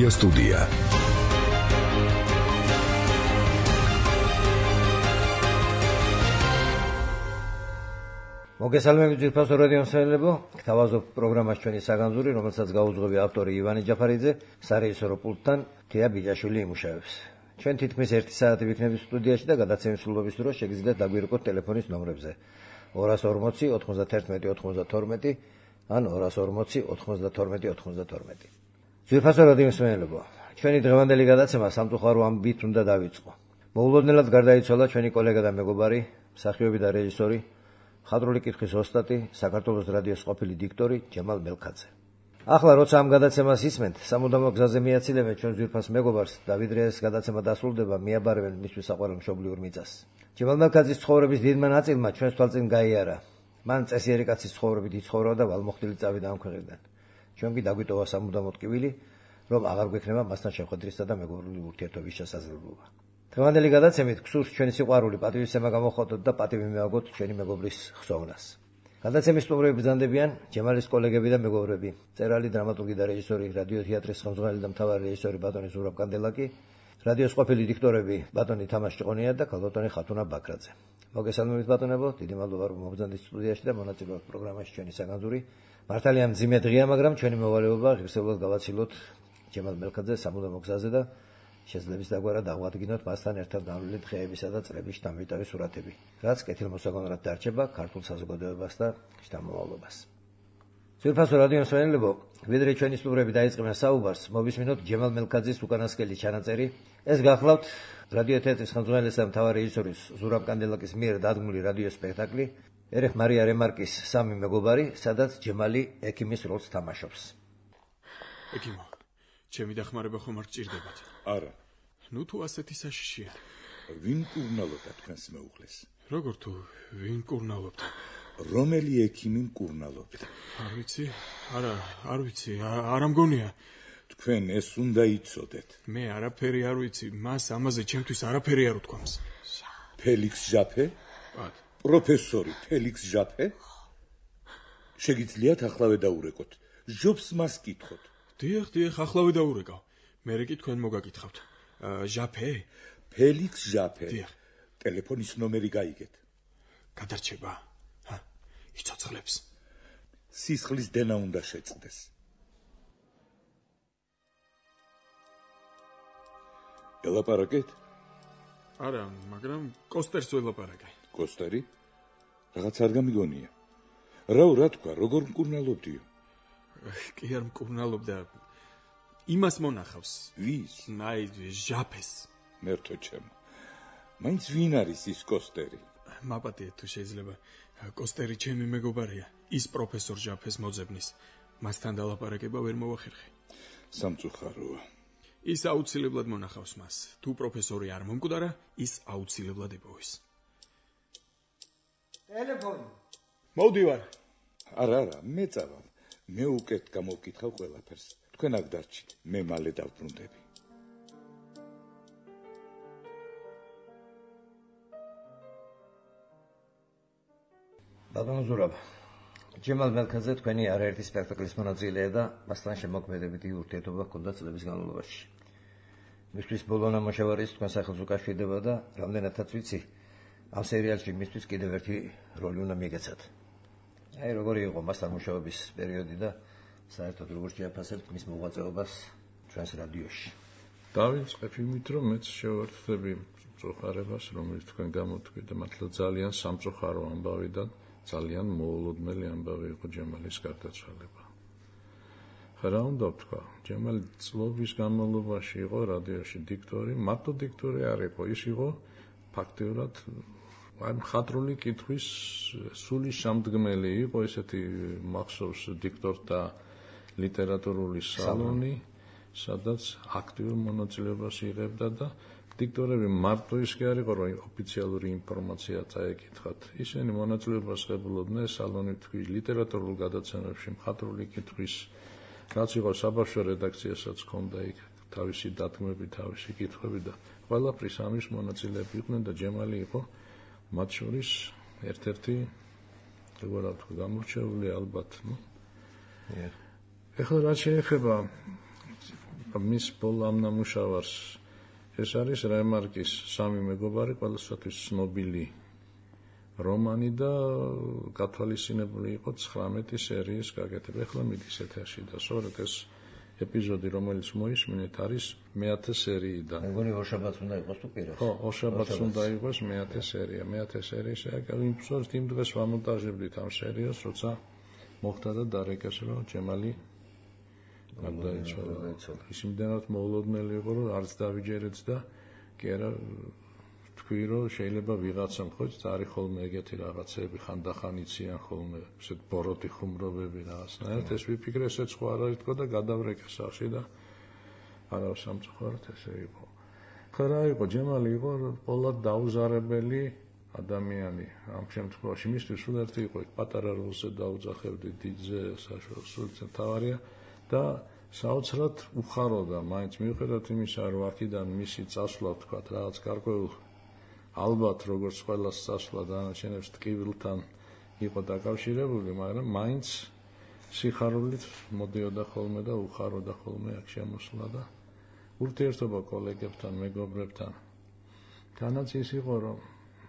Media Studia. მოგესალმებით ძირფასო რადიო მსმენელებო, გთავაზობ პროგრამას ჩვენი საგანძური, რომელსაც გაუძღვები ავტორი ივანე ჯაფარიძე, სარეჟისორო პულტთან თია ბიჯაშვილი იმუშავებს. ჩვენ თითქმის 1 საათი ვიქნებით სტუდიაში და გადაცემის სრულობის დროს შეგიძლიათ დაგვირეკოთ ტელეფონის ნომრებზე 240 91 92 ან 240 92 92. ძირფასო რადიო მსმენელებო, ჩვენი დღევანდელი გადაცემა სამწუხარო ამბით უნდა დავიწყო. მოულოდნელად გარდაიცვალა ჩვენი კოლეგა და მეგობარი, მსახიობი და რეჟისორი, ხადრული კითხვის ოსტატი, საქართველოს რადიოს ყოფილი დიქტორი ჯემალ მელქაძე. ახლა როცა ამ გადაცემას ისმენთ, სამუდამო გზაზე მიაცილებენ ჩვენ ძვირფას მეგობარს და ვიდრე ეს გადაცემა დასრულდება, მიაბარებენ მისთვის საყვარელ მშობლიურ მიწას. ჯემალ მელქაძის ცხოვრების დიდმა ნაწილმა ჩვენს თვალწინ გაიარა. მან წესიერი კაცის ცხოვრებით იცხოვრა და ვალმოხდილი წავიდა ამ ქვეყნიდან. ჩვენ კი დაგვიტოვა სამუდამო ტკივილი, რომ აღარ გვექნება მასთან შეხვედრისა და მეგობრული ურთიერთობის შესაძლებლობა. დღევანდელი გადაცემით გსურს ჩვენი სიყვარული პატივისცემა გამოხატოთ და პატივი მივაგოთ ჩვენი მეგობრის ხსოვნას. გადაცემის სტუმრები ბრძანდებიან ჯემალის კოლეგები და მეგობრები, მწერალი, დრამატურგი და რეჟისორი, რადიო თეატრის ხელმძღვანელი და მთავარი რეჟისორი ბატონი ზურაბ კანდელაკი, რადიოს ყოფილი დიქტორები ბატონი თამაშ ჭყონია და ქალბატონი ხათუნა ბაქრაძე. მოგესალმებით ბატონებო, დიდი მადლობა რომ მობრძანდით სტუდიაში და მონაწილეობთ პროგრამაში ჩვენი საგანძური. მართალია მძიმე დღეა, მაგრამ ჩვენი მოვალეობა ღირსეულად გავაცილოთ ჯემალ მელქაძეს სამუდამო გზაზე და შეძლებს დაგვარა დაღვადგინოთ მასთან ერთად განვლილი დღეებისა და წლების შთამბეჭდავი სურათები, რაც კეთილმოსაგონად დარჩება ქართულ საზოგადოებას და შთამომავლობას. ძვირფასო რადიო მსმენელებო, ვიდრე ჩვენი სტუმრები დაიწყებენ საუბარს, მოვისმინოთ ჯემალ მელქაძის უკანასკნელი ჩანაწერი. ეს გახლავთ რადიო თეატრის ხელმძღვანელის და მთავარი რეჟისორის ზურაბ კანდელაკის მიერ დადგმული რადიო სპექტაკლი ერეხ მარია რემარკის სამი მეგობარი, სადაც ჯემალი ექიმის როლს თამაშობს. ექიმო, ჩემი დახმარება ხომ არ გჭირდებათ? არა. ნუ თუ ასეთი საშიშია. ვინ კურნალობდა თქვენს მეუღლეს? როგორ თუ ვინ კურნალობდა? რომელი ექიმი მკურნალობდა? არ ვიცი, არ ვიცი, არ ამგონია. თქვენ ეს უნდა იცოდეთ. მე არაფერი არ ვიცი, მას ამაზე ჩემთვის არაფერი არ უთქვამს. ფელიქს ჟაფე? ბათ. პროფესორი ფელიქს ჟაფე? შეგიძლიათ ახლავე დაურეკოთ. ჟობს მას კითხოთ. დიახ, ახლავე დაურეკავ. მერე კი თქვენ მოგაკითხავთ. ჟაფე? ფელიქს ჟაფე. დიახ. ტელეფონის ნომერი გაიგეთ. გადარჩება. იცოცხლებს. სისხლის დენა უნდა შეწყდეს. ელაპარაკეთ? არა, მაგრამ კოსტერს ველაპარაკე. კოსტერი? რაღაც არ გამიგონია. რა თქვა, როგორ მკურნალობდიო? კი არ მკურნალობდა. იმას მონახავს. ვის? აი, ჟაფეს. მერთო ჩემო. მაინც ვინ არის ის კოსტერი? მაპატიეთ თუ შეიძლება. კოსტერი ჩემი მეგობარია. ის პროფესორ ჟაფეს მოძებნის. მასთან დალაპარაკება ვერ მოვახერხე. სამწუხაროა. ის აუცილებლად მონახავს მას. თუ პროფესორი არ მომკვდარა, ის აუცილებლად იპოვის. ტელეფონი. მოვდივარ. არა, მე წავალ. მე უკეთ გამოვკითხავ ყველაფერს. თქვენ აქ დარჩით, მე მალე დავბრუნდები. ბატონო ზურაბ, ჯემალ მელქაძე თქვენი არაერთი სპექტაკლის მონაწილეა და მასთან შემოქმედებითი ურთიერთობა ჰქონდა წლების განმავლობაში. მისთვის ბოლო ნამუშევარი თქვენ სახელს უკავშირდება და რამდენადაც ვიცი, ამ სერიალში მისთვის კიდევ ერთი როლი უნდა მიგეცათ. აი როგორი იყო მასთან მუშაობის პერიოდი და საერთოდ როგორ შეაფასებთ მის მოღვაწეობას ჩვენს რადიოში? დავიწყებ იმით, რომ მეც შევართდები მწუხარებას, რომელიც თქვენ გამოთქვით და მართლა ძალიან სამწუხარო ამბავი და ძალიან მოულოდნელი ამბავი იყო ჯემალის გარდაცვალება. რა უნდა ვთქვა, ჯემალი წლების განმავლობაში იყო რადიოში დიქტორი, მარტო დიქტორი არ იყო, ის იყო ფაქტიურად მხატვრული კითხვის სული შემდგმელი, იყო ესეთი მახსოვს დიქტორთა ლიტერატურული სალონი, სადაც აქტიურ მონაწილეობას იღებდა და დიქტორები მარტო ის კი არ იყო, რომ ოფიციალური ინფორმაცია წაეკითხათ. ისინი მონაწილეობას ღებულობდნენ სალონი თქვის ლიტერატურულ გადაცემებში, მხატვრული კითხვის, რაც იყო საბავშვო რედაქციასაც ჰქონდა იქ თავისი დადგმები, თავისი კითხვები და ყველაფრის ამის მონაწილეები იყვნენ და ჯემალი იყო მათ შორის ერთ-ერთი როგორ ვთქვა გამორჩეული ალბათ, ეხლა რაც შეეხება მის ბოლო ამ ნამუშევარს ეს არის რემარკის სამი მეგობარი, ყველასთვის ცნობილი რომანი და გათვალისწინებული იყო 19 სერიის გაკეთება. ახლა მიდის ეთერში და სწორედ ეს ეპიზოდი, რომელიც მოისმინეთ, არის მე-10 სერიიდან. მეგონი ორშაბათს უნდა იყოს თუ პირას? ხო, ორშაბათს უნდა იყოს მე-10 სერია. მე-10 სერიის იმწორს იმ დღეს ვამონტაჟებდით ამ სერიას, როცა მოხდა და დარეკეს, რომ ჯემალი გარდაიცვალა. ის იმდენად მოულოდნელი იყო, რომ არც დავიჯერეთ და კი არა თქვი, რომ შეიძლება ვიღაცამ ხო წარი ხოლმე ეგეთი რაღაცები ხანდახან იციან ხოლმე, ესეთ ბოროტი ხუმრობები რაღაცნაირად, ეს ვიფიქრე, ესეც ხო არ არის თქო და გადავრეკე სახში და არა სამწუხაროდ ესე იყო. ხო რა იყო, ჯემალი იყო ყოლად დაუზარებელი ადამიანი ამ შემთხვევაში, მისთვის სულ ერთი იყო, პატარა როლზე დაუძახებდი დიდზე, საშუალო სულზე თავარია და საოცრად უხაროდა, მაინც მიუხედავად იმისა, რომ აქედან მისი წასვლა თქვა რაღაც გარკვეულ ალბათ როგორც ყველას წასვლა დანარჩენებს ტკივილთან იყო დაკავშირებული, მაგრამ მაინც სიხარულით მოდიოდა ხოლმე და უხაროდა ხოლმე აქ შემოსვლა და ურთიერთობა კოლეგებთან, მეგობრებთან. თანაც ის იყო, რომ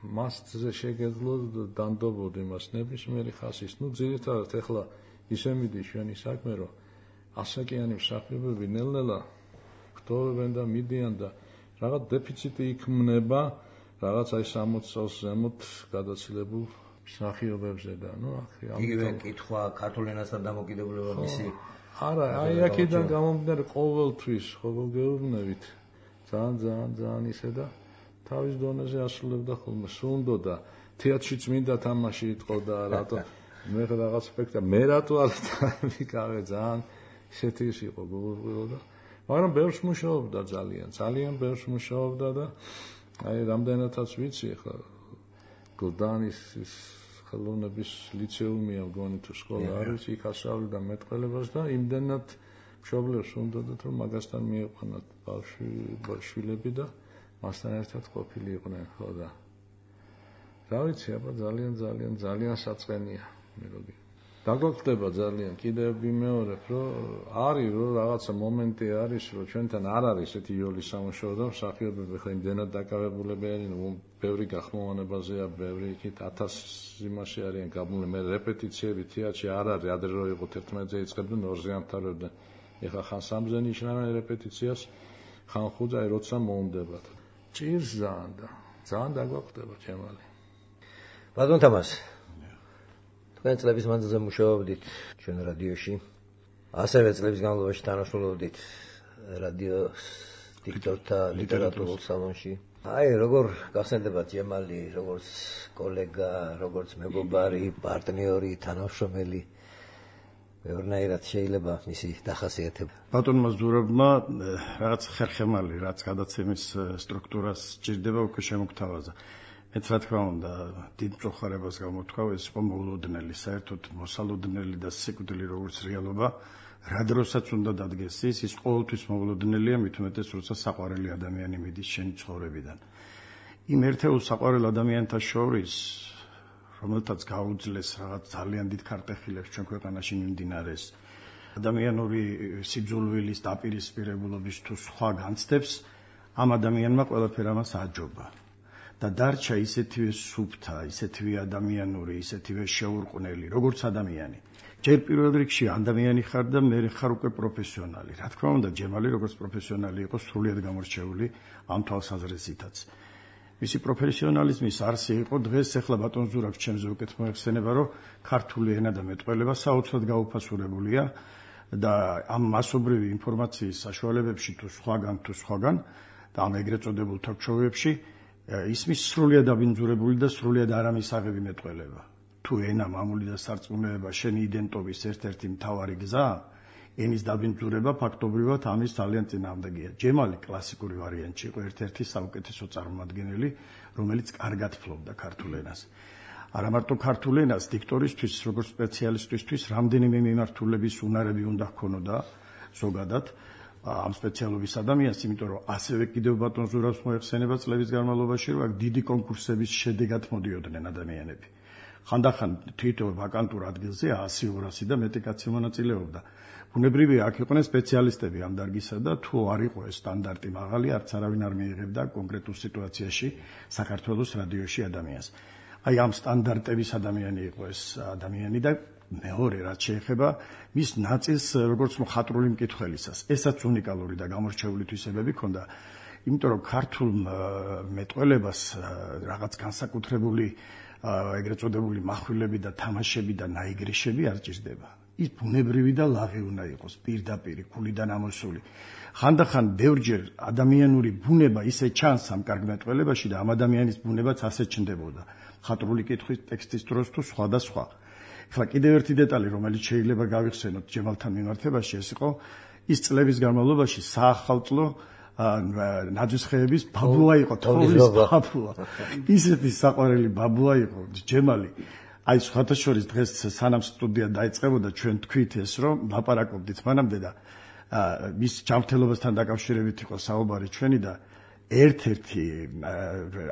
მასზე შეგეძლო დანდობოდი მას ნებისმიერი ხასის. ძირითადად ეხლა ისე მიდის ჩვენი საქმე, რომ ასაკიანი მსახიობები ნელ-ნელა გტოვებენ და მიდიან და რაღაც დეფიციტი იქმნება რაღაც აი 60 წელს ზემოთ გადაცილებულ მსახიობებზე და იგივე კითხვა ქართულ ენასთან დამოკიდებულება მისი არა, აი აქედან გამომდინარე ყოველთვის ხოლმე გეუბნებით ძალიან ისე და თავის დონეზე ასრულებდა ხოლმე სუნდოდა თეატრშიც მინდა თამაში იტყოდა რატო მე რაღაც სპექტაკლი მე რატო არ ვიკავე ძალიან ისეთი ის იყო გულუღილო და მაგრამ ბევრს მუშაობდა ძალიან ბევრს მუშაობდა და აი რამდენადაც ვიცი ახლა გლდანის ხელოვნების ლიცეუმია მგონი თუ სკოლა არის იქ ასწავლიდა მეტყველებას და იმდენად მშობლებს უნდათ რომ მაგასთან მიიყვანათ ბავშვები და მასთან ერთად ყოფილი იყვნენ ხო და რა ვიცი აბა ძალიან საწყენია მეგობი დაგვაკვდება ძალიან კიდევ ვიმეორებ რომ არის რომ რაღაცა მომენტი არის რომ ჩვენთან არ არის ესეთი იოლი სამუშაო და მსახიობები ხა იმდენად დაკავებულები არიან ბევრი გახმოვანებაზეა ბევრი იქით 1000 იმაში არიან გაბმული მე რეპეტიციები თეატრში არ არის ადრე რო იყო 11-ზე იწყებდნენ 2-ზე ამთავრებდნენ ეხა ხან 3-ზე ნიშნავენ რეპეტიციას ხან 5-ზე აი როცა მოუნდებათ ჭირს ძალიან დაგვაკვდება ჩემალი ბატონ თამას თქვენ წლების მანძილზე მუშაობდით ჩვენ რადიოში ასევე წლების განმავლობაში თანამშრომლობდით რადიოს დიქტორთა ლიტერატურულ სალონში აი როგორ გახსენდებათ ჯემალი როგორც კოლეგა როგორც მეგობარი პარტნიორი თანამშრომელი ბევრნაირად შეიძლება მისი დახასიათება ბატონმა ზურაბმა რაღაც ხერხემალი რაც გადაცემის სტრუქტურას ჭირდება უკვე შემოგთავაზა მეც რა თქმა უნდა დიდ მწუხარებას გამოთქვავ ეს იყო მოულოდნელი საერთოდ მოსალოდნელი და სიკვდილი როგორც რეალობა რა დროსაც უნდა დადგეს ის ყოველთვის მოულოდნელია მით უმეტეს როცა საყვარელი ადამიანი მიდის შენი ცხოვრებიდან იმ ერთეულ საყვარელ ადამიანთა შორის რომელთაც გაუძლეს რაღაც ძალიან დიდ ქარტეხილებს ჩვენ ქვეყანაში მიმდინარეს ადამიანური სიძულვილის დაპირისპირებულობის თუ სხვა განცდებს ამ ადამიანმა ყველაფერ ამას აჯობა და დარჩა ისეთივე სუფთა, ისეთივე ადამიანური, ისეთივე შეურყვნელი, როგორც ადამიანი. ჯერ პირველ რიგში ადამიანი ხარ და მე ხარ უკვე პროფესიონალი. რა თქმა უნდა, ჯემალი როგორც პროფესიონალი იყო სრულიად გამორჩეული ამ თვალსაზრისითაც. მისი პროფესიონალიზმის არსი იყო დღეს ახლა ბატონ ზურაბს ჩემზე უკეთ მოეხსენება, რომ ქართული ენა და მეტყველება საოცრად გაუფასურებულია და ამ მასობრივი ინფორმაციის საშუალებებში თუ სხვაგან და ამ ეგრეთ წოდებულ თორჩოვებში ისმის სრულიად დაბინძურებული და სრულიად არამისაღები მეტყველება. თუ ენა მამული და სარწმუნოება შენი იდენტობის ერთ-ერთი მთავარი გზა, ენის დაბინძურება ფაქტობრივად ამის ძალიან წინააღმდეგია. ჯემალი კლასიკური ვარიანტი იყო ერთ-ერთი საუკეთესო წარმომადგენელი, რომელიც კარგად ფლობდა ქართულ ენას. არა მარტო ქართულ ენას, დიქტორისთვის, როგორც სპეციალისტისთვის, რამდენიმე მიმართულების უნარები უნდა ჰქონოდა ზოგადად. ამ სპეციალობის ადამიანს, იმიტომ რომ ასევე კიდევ ბატონ ზურაბს მოეხსენება წლების განმავლობაში, რომ აქ დიდი კონკურსების შედეგად მოდიოდნენ ადამიანები. ხანდახან თვითონ ვაკანტურ ადგილზე 100-200 და მეტი კაცი მონაწილეობდა. ბუნებრივია აქ იყვნენ სპეციალისტები ამ დარგისა და თუ არ იყო ეს სტანდარტი მაღალი, არც არავინ არ მიიღებდა კონკრეტულ სიტუაციაში საქართველოს რადიოში ადამიანს. აი ამ სტანდარტების ადამიანი იყო ეს ადამიანი და მეორე რაც შეეხება მის ნაწილს როგორც მხატვრული მკითხველისას. ესაც უნიკალური და გამორჩეული თვისებები ჰქონდა, იმიტომ რომ ქართულ მეტყველებას რაღაც განსაკუთრებული ეგრეთ წოდებული מחვილები და თამაშები და ნაიგრიშები არ ჭირდება. ის ბუნებრივი და ლაღი უნდა იყოს, პირდაპირი, გულიდან ამოსული. ხანდახან ბევრჯერ ადამიანური ბუნება ისე ჩანს ამ კარგ მეტყველებაში და ამ ადამიანის ბუნებაც ასე ჩნდებოდა. მხატვრული კითხვის ტექსტის დროს თუ სხვა და სხვა. ახლა კიდევ ერთი დეტალი, რომელიც შეიძლება გავიხსენოთ ჯემალთან მიმართებაში, ეს იყო ის წლების განმავლობაში საახალწლო ნაძვისხეების ბაბუა იყო, თოვლის ბაბუა. ისეთი საყვარელი ბაბუა იყო ჯემალი. აი სხვათა შორის დღეს სანამ სტუდია დაიწყებოდა ჩვენ თქვით ეს რომ ლაპარაკობდით მანამდე და მის ჯანმრთელობასთან დაკავშირებით იყო საუბარი ჩვენი და ერთ-ერთი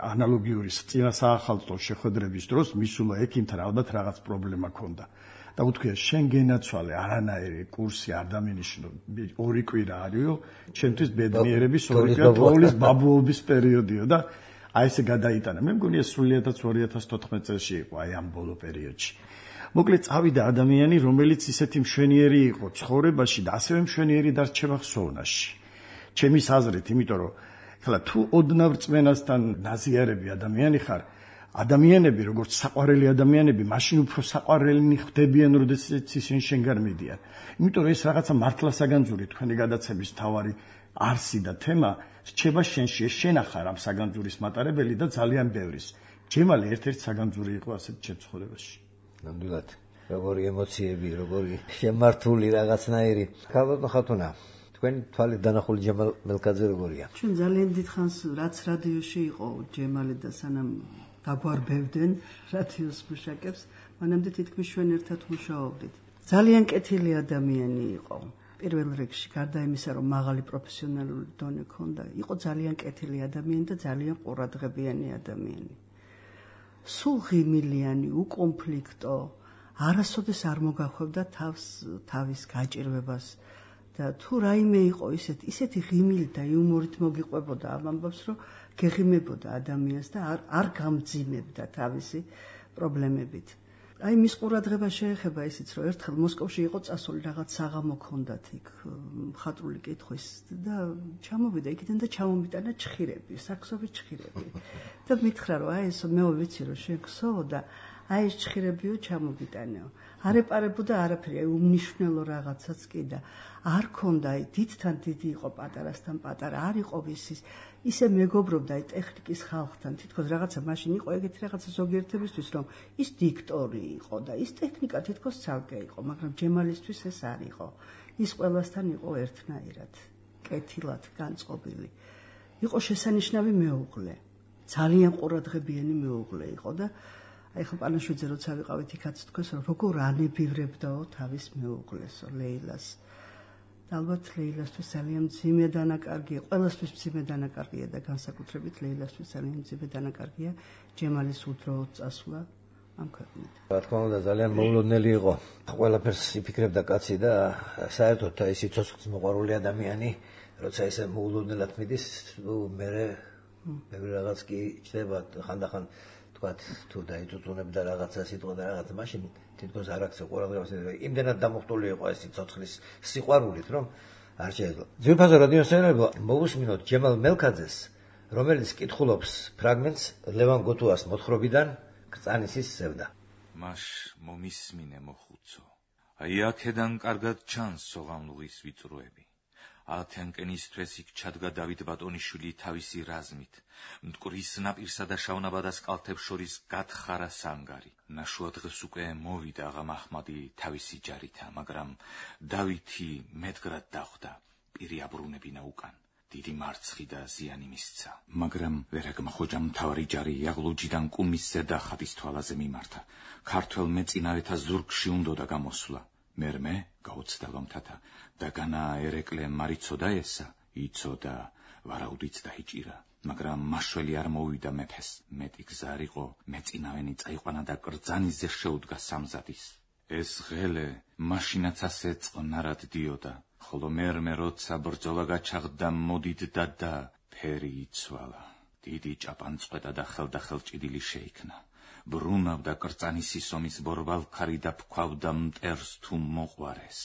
ანალოგიური წინა საახალწლო შეხვედრების დროს მისულა ექიმთან ალბათ რაღაც პრობლემა ჰქონდა და უთქვია შენ გენაცვალე არანაირი კურსი არ დამინიშნო 2 კვირა არისო ჩემთვის ბედნიერების 2 კვირა თოვლის ბაბუობის პერიოდიო და აი ესე გადაიტანა. მე მგონია სრულიად 2014 წელს იყო აი ამ ბოლო პერიოდში. მოკლედ წავიდა ადამიანი, რომელიც ისეთი მშვენიერი იყო ცხოვრებაში და ასევე მშვენიერი დარჩება ხსოვნაში. ჩემის აზრით, იმიტომ რომ ხლა თუ ოდნავ რწმენასთან ნაზიარები ადამიანი ხარ, ადამიანები როგორც საყვარელი ადამიანები, მაშინ უფრო საყვარელნი ხდებიან, როდესაც ისინი შენგან მიდიან. იმიტომ რომ ეს რაღაცა მართლასაგანძური თქვენი გადაცემის თავარი არსი და თემა რჩება შენში, შენ ახარ ამ საგანძურის მატარებელი და ძალიან ბევრის. ჯემალი ერთ-ერთი საგანძური იყო ასეთ ჩემ ცხოვრებაში. ნამდვილად, როგორი ემოციები, როგორი შემართული რაღაცნაირი. ქალბატონ ხათუნა, თქვენი თვალით დანახული ჯემალ მელქაძე როგორია? ჩვენ ძალიან დიდხანს რაც რადიოში იყო ჯემალი და სანამ დაგვარბევდნენ რადიოს მუშაკებს, მანამდე თითქმის ჩვენ ერთად მუშაობდით. ძალიან კეთილი ადამიანი იყო. პირველ რიგში, გარდა იმისა, რომ მაღალი პროფესიონალური დონე ჰქონდა, იყო ძალიან კეთილი ადამიანი და ძალიან ყურადღებიანი ადამიანი. სულ ღიმილიანი, უკონფლიქტო, არასოდეს არ მოგახვევდა თავის გაჭირვებას და თუ რაიმე იყო ისეთი ღიმილი და იუმორით მოგიყვებოდა ამ ამბავს, რომ გეღიმებოდა ადამიანს და არ გამძიმებდა თავისი პრობლემებით. აი მის ყურადღება შეეხება ისიც, რომ ერთხელ მოსკოვში იყო წასული რაღაც საღამო ჰქონდათ იქ მხატვრული კითხვის და ჩამოვიდა იქიდან და ჩამომიტანა ჩხირები, საქსოვი ჩხირები. და მითხრა რომ აი ესო მე ვიცი რომ შენ ქსოვო და აი ეს ჩხირებიო ჩამომიტანეო. არ ეპარებოდა არაფერი, აი უმნიშვნელო რაღაცაც კი და არ ქონდა აი დიდთან დიდი იყო პატარასთან პატარა, არ იყო ვისის ისე მეგობრობდა აი ტექნიკის ხალხთან, თითქოს რაღაცა მაშინ იყო ეგეთი რაღაცა ზოგიერთებისთვის, რომ ის დიქტორი იყო და ის ტექნიკა თითქოს ცალკე იყო, მაგრამ ჯემალისთვის ეს არ იყო. ის ყველასთან იყო ერთნაირად, კეთილად განწყობილი. იყო შესანიშნავი მეუღლე, ძალიან ყურადღებიანი მეუღლე იყო და აი ხო პანაშვიძე როცა ვიყავით იქაც თქვეს, რომ როგორ ანებივრებდაო თავის მეუღლესო, ლეილას. ალბათ ლეილასთვის ძალიან მძიმე დანაკარგია, ყველასთვის მძიმე დანაკარგია და განსაკუთრებით ლეილასთვის ძალიან მძიმე დანაკარგია ჯემალის უდროოდ წასვლა ამ ქვეყნიდან. რა თქმა უნდა, ძალიან მოულოდნელი იყო. ყველაფერს იფიქრებდა კაცი და საერთოდ ეს სიცოცხლის მოყვარული ადამიანი, როცა ესე მოულოდნელად მიდის, მე რაღაც კი ჩდება ხანდახან თქვათ თუ დაიწუწუნებდა რაღაცა სიტყვა და რაღაცა მაშინ თითქოს არ აქცევ ყურადღებას, იმდენად დამოხტული იყო ეს სიცოცხლის სიყვარულით, რომ არ შეეძლო. ძვირფასო რადიოსმენებო, მოვუსმინოთ ჯემალ მელქაძეს, რომელიც კითხულობს ფრაგმენტს ლევან გოთუას მოთხრობიდან კრწანისის სევდა. მაშ მომისმინე მოხუცო. აი აქედან კარგად ჩანს სოღამლუღის ვიწროები. ათენკენისთვის იქ ჩადგა დავით ბატონიშვილი თავისი რაზმით. მტკვრის ნაპირსა და შავნაბადას კალთებს შორის გათხარა სანგარი. ნაშუა დღეს უკვე მოვიდა აღა მაჰმადი თავისი ჯარითა, მაგრამ დავითი მეტგრად დახვდა, პირი აბრუნებინა უკან. დიდი მარცხი და ზიანი მისცა. მაგრამ ვერაგმა ხოჯამ მთავარი ჯარი იაღლუჯიდან კუმის ზედა ხატის თვალაზე მიმართა. ქართველ მეწინავეთა ზურგში უნდოდა გამოსვლა. მერმე გაუცდა ლომთათა და განა ერეკლე მარიცოდა ესა, იცოდა ვარაუდიც დაიჭირა. მაგრამ მაშველი არ მოვიდა მეფეს. მეტი გზა არ იყო, მეწინავენი წაიყვანა და კრძანისზე შეუდგა სამზადის. ეს ღელე მაშინაც ასე წყნარად დიოდა, ხოლო მერმე როცა ბრძოლა გაჩაღდა მოდიდდა და ფერი იცვალა. დიდი ჭაპანწყვეტა და ხელდახელჭიდილი შეიქმნა. ბრუნავდა კრძანისის ომის ბორბალქარი და ფქვავდა მტერს თუ მოყვარეს.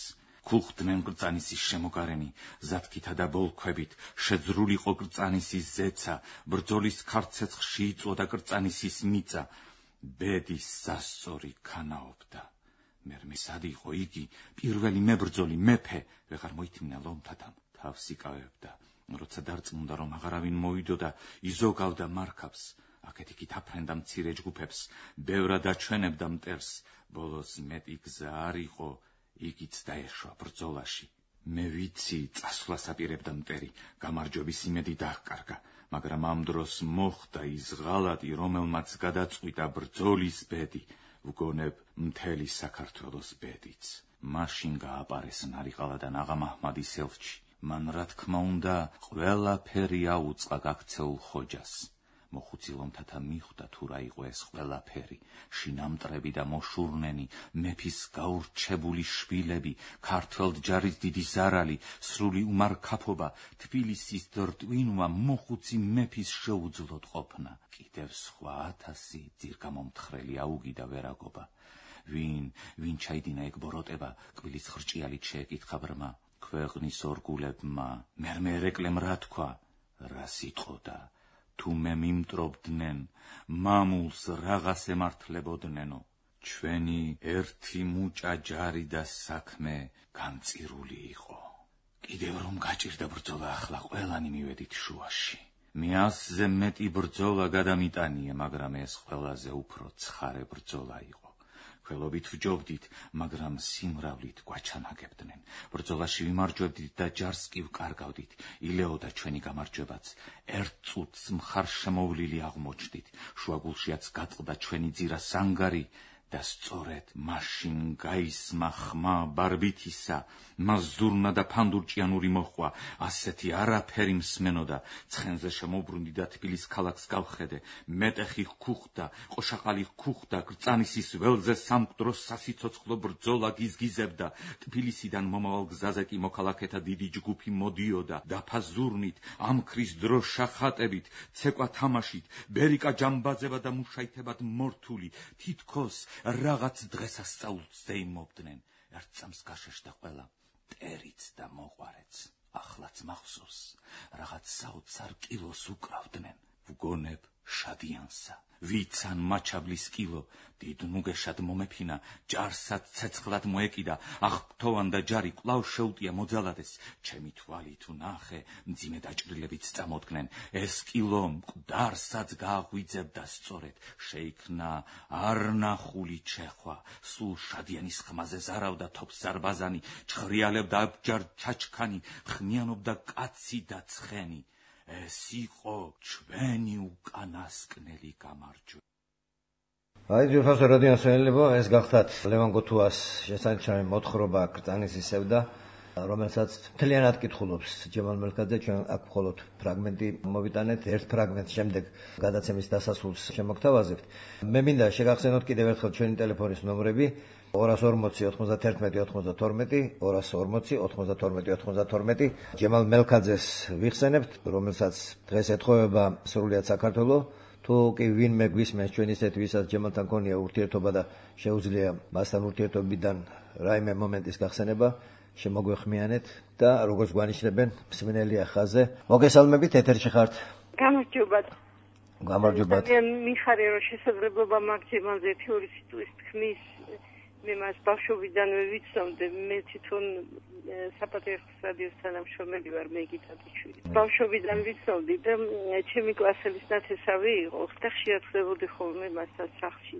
ქუხდნენ კრძანისის შემოგარენი, ზათქითა და ბოლქვებით, შეძრულიყო კრძანისის ზეცა, ბრძოლის ქარცეცხლში იწვოდა კრძანისის მიწა, ბედის სასწორი ქანაობდა. მერმე სად იყო იგი, პირველი მებრძოლი მეფე, ვეღარ მოითმინა ლომთათამ, თავს იკავებდა. როცა დარწმუნდა, რომ აღარავინ მოიდოდა, იზოგავდა მარქავს, აქეთ-იქით აფრენდა მცირე ჯგუფებს, ბევრად აჩვენებდა მტერს, ბოლოს მეტი გზა არ იყო, იგიც დაეშვა ბრძოლაში. მე ვიცი, წასვლას აპირებდა მტერი, გამარჯვების იმედი დაჰკარგა, მაგრამ ამ დროს მოხდა ის ღალატი, რომელმაც გადაწყვიტა ბრძოლის ბედი, ვგონებ მთელი საქართველოს ბედიც. მაშინ გააპარეს ნარიყალადან აღა მაჰმადის ელჩი. მან რა თქმა უნდა ყველაფერი აუწყა გაქცეულ ხოჯას. მოხუცი ლომთათა მიხვდა თუ რა იყო ეს ყველაფერი, შინამტრები და მოშურნენი, მეფის გაურჩებული შვილები, ქართველ ჯარის დიდი ზარალი, სრული უმარქაფობა, თბილისის რტვინვა მოხუცი მეფის შეუძლოდ ყოფნა. კიდევ სხვა 1000 ძირგამომთხრელი აუგი და ვერაგობა. ვინ ჩაიდინა ეგ ბოროტება, კბილის ხრჭიალით შეეკითხა ბრმა. ქვეყნის ორგულებმა მერმე ერეკლემ რა თქვა, რა სიტყოდა, თუ მე მიმტრობდნენ, მამულს რაღაც ემართლებოდნენო. ჩვენი ერთი მუჭა ჯარი და საქმე განწირული იყო. კიდევ რომ გაჭირდა ბრძოლა, ახლა ყველანი მივედით შუაში. მე 100-ზე მეტი ბრძოლა გადამიტანიე, მაგრამ ეს ყველაზე უფრო ცხარე ბრძოლა იყო. ხელობით ვჯობდით, მაგრამ სიმრავლით გვაჩანაგებდნენ. ბრძოლაში ვიმარჯვებდით და ჯარს კი ვკარგავდით. ილეოდა ჩვენი გამარჯვებაც. ერთ წუთს მხარშემოვლილი აღმოჩნდით. შუაგულშიაც გაწყდა ჩვენი ძირა სანგარი და სწორედ მაშინ გაისმა ხმა ბარბითისა, მას ზურნა და ფანდურჭიანური მოხვა, ასეთი არაფერი მსმენოდა. ცხენზე შემოbrunდი და თბილის ქალაქს გავხედე. მეტეხი ჰქუხდა, ყოშაყალი ჰქუხდა, კრძანისის ველზე სამკვდროს სასიცოცხლო ბრძოლა გიზგიზებდა. თბილისიდან მომავალ გზაზე კი მოქალაქეთა დიდი ჯგუფი მოდიოდა, დაფაზურნით, ამქრის დროშა ხატებით, ცეკვა თამაშით, ბერიკა ჯამბაზება და მუშაითებად მორთული, თითქოს რაღაც დღესასწაულს ზეიმობდნენ. ერთ წამს გაშეშდა ყველა, მტერიც და მოყვარეც. ახლაც მახსოვს, რაღაც საოცარ კილოს უკრავდნენ. ვგონებ შადიანსა. ვიცან მაჩაბლის კილო, დიდ ნუგეშად მომეფინა, ჯარსაც ცეცხლად მოეკიდა, აღფრთოვან და ჯარი კვლავ შეუტია მოძალადეს. ჩემი თვალით ვნახე, მძიმე დაჭრილებიც წამოდგნენ. ეს კილო მკვდარსაც გააღვიძებდა სწორედ. შეიქმნა არნახული ჩეხვა, სულ შადიანის ხმაზე ზარავდა თოფს ზარბაზანი, ჩხრიალებდა აბჯარ ჩაჩქანი, ხმიანობდა კაცი და ცხენი. ეს იყო ჩვენი უკანასკნელი გამარჯვება. აი ძვირფასო რადიოსმენელებო, ეს გახდათ ლევან გოთუას შესანიშნავი მოთხრობა კრძანისის სევდა, რომელსაც მთლიანად კითხულობს ჯემალ მელქაძე. ჩვენ აქ მხოლოდ ფრაგმენტი მოვიტანეთ, ერთ ფრაგმენტს შემდეგ გადაცემის დასასრულს შემოგთავაზებთ. მე მინდა შეგახსენოთ კიდევ ერთხელ ჩვენი ტელეფონის ნომრები 240 91 92 240 92 92. ჯემალ მელქაძეს ვიხსენებთ, რომელსაც დღეს ეთხოვება სრულიად საქართველო. თუ კი ვინმე გვისმენს ჩვენ ისეთ, ვისაც ჯემალთან ქონია ურთიერთობა და შეუძლია მასთან ურთიერთობიდან რაიმე მომენტის გახსენება, შემოგვეხმიანეთ და როგორც გვანიშნებენ, მსმენელია ხაზზე. მოგესალმებით, ეთერში ხართ. გამარჯობათ. გამარჯობათ. მიხარია რომ შესაძლებლობა მაქვს ჯემალზე თეორიის სიტყვის თქმის. მე მას ბავშვობიდანვე ვიცნობდი, მე თვითონ საპატრიარქოს რადიოს თანამშრომელი ვარ, მე გიტაძიშვილი. ბავშვობიდან ვიცნობდი და ჩემი კლასელის ნათესავი იყო, და ხშირად ხდებოდი ხოლმე მასთან სახლში.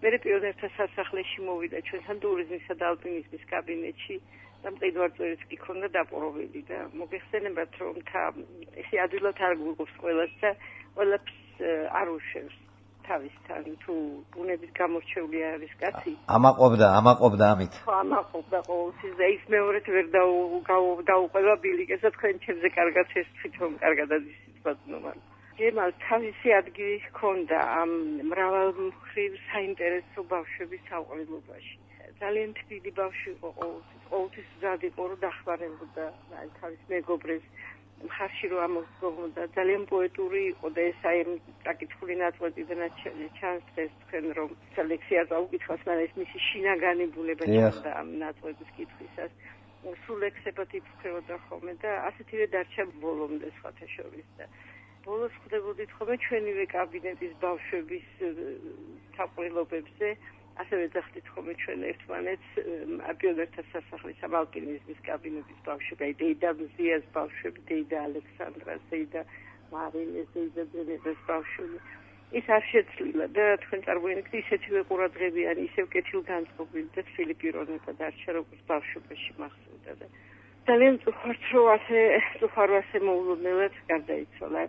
მე პიონერთა სასახლეში მოვიდა ჩვენთან ტურიზმისა და ალპინიზმის კაბინეტში და მყიდვარწვერიც კი ქონდა დაპყრობილი და მოგეხსენებათ, რომ ესე ადვილად არ გვიღოს ყველას და ყველაფერს არ უშვებს. თავისთან თუ ბუნების გამორჩეული არის კაცი. ამაყობდა ამით. ამაყობდა ყოველთვის და ის მეორედ ვერ დაუყვება ბილიკესა თქვენ ჩემზე კარგად ეს თვითონ კარგად იცით ბატონო. ჯემალ თავისი ადგილი ჰქონდა ამ მრავალმხრივ საინტერესო ბავშვების საყრელობაში. ძალიან თბილი ბავშვი იყო ყოველთვის მზად იყო რომ დახმარებოდა თავის მეგობრებს მხარში რომ ამოგვდა ძალიან პოეტური იყო და ეს აი საკითხული ნაწყვეტიდანაც ჩანს დღეს თქვენ რომ ლექსია წაუკითხავს მაგრამ ეს მისი შინაგანი ბუნება ჩანდა ამ ნაწყვეტის კითხვისას სულ ლექსებად იფიქრებოდა ხოლმე და ასეთივე დარჩა ბოლომდე სხვათა შორის და ბოლოს ხვდებოდით ხოლმე ჩვენივე კაბინეტის ბავშვების თაყვილობებზე ასევე ძახდით ხოლმე ჩვენ ერთმანეთს პიონერთა სასახლის ამ ალპინიზმის კაბინეტის ბავშვები, დეიდა მზიას ბავშვები, დეიდა ალექსანდრას, დეიდა მარინეს, დეიდა ბენედას ბავშვები. ის არ შეცვლილა და თქვენ წარმოიდგინეთ ისეთივე ყურადღებიანი, ისევ კეთილგანწყობილი და თბილი პიროვნება დარჩა როგორც ბავშვობაში მახსოვდა და ძალიან წუხართ რომ ასე მოულოდნელად გარდაიცვალა.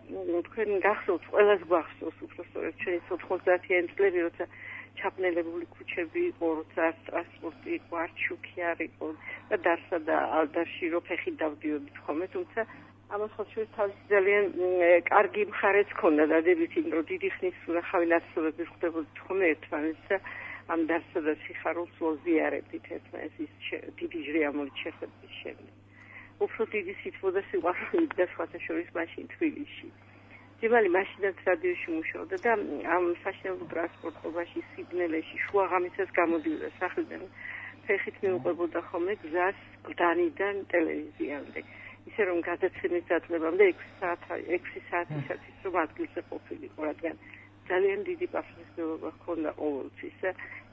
თქვენ გახსოვთ, ყველას გვახსოვს უბრალოდ ჩვენი 90-იანი წლები, როცა ჩაპნელებული ქუჩები იყო, როცა ტრანსპორტი იყო, არ შუქი არ იყო და დარსა და ალდარში რო ფეხი დავდიოდით ხოლმე, თუმცა ამას ხოჩვის თავისი ძალიან კარგი მხარეც ჰქონდა დადებითი, რომ დიდი ხნის სურახავი ნაცნობები ხდებოდით ხოლმე ერთმანეთს და ამ დარსა და სიხარულს ვოზიარებდით ერთმანეთს ის დიდი ჟრიამული ჩეხების შემდეგ. უფრო დიდი სითბო და სიყვარული და სხვათა შორის მაშინ თბილისში. ჯემალი მაშინაც რადიოში მუშაობდა და ამ საშინაო ტრანსპორტობაში სიბნელეში შუაღამისას გამოდიოდა სახლიდან ფეხით მიუყვებოდა ხოლმე გზას გდანიდან ტელევიზიამდე ისე რომ გადაცემის დაწყებამდე 6 საათისათვის რომ ადგილზე ყოფილიყო რადგან ძალიან დიდი პასუხისმგებლობა ჰქონდა ყოველთვის და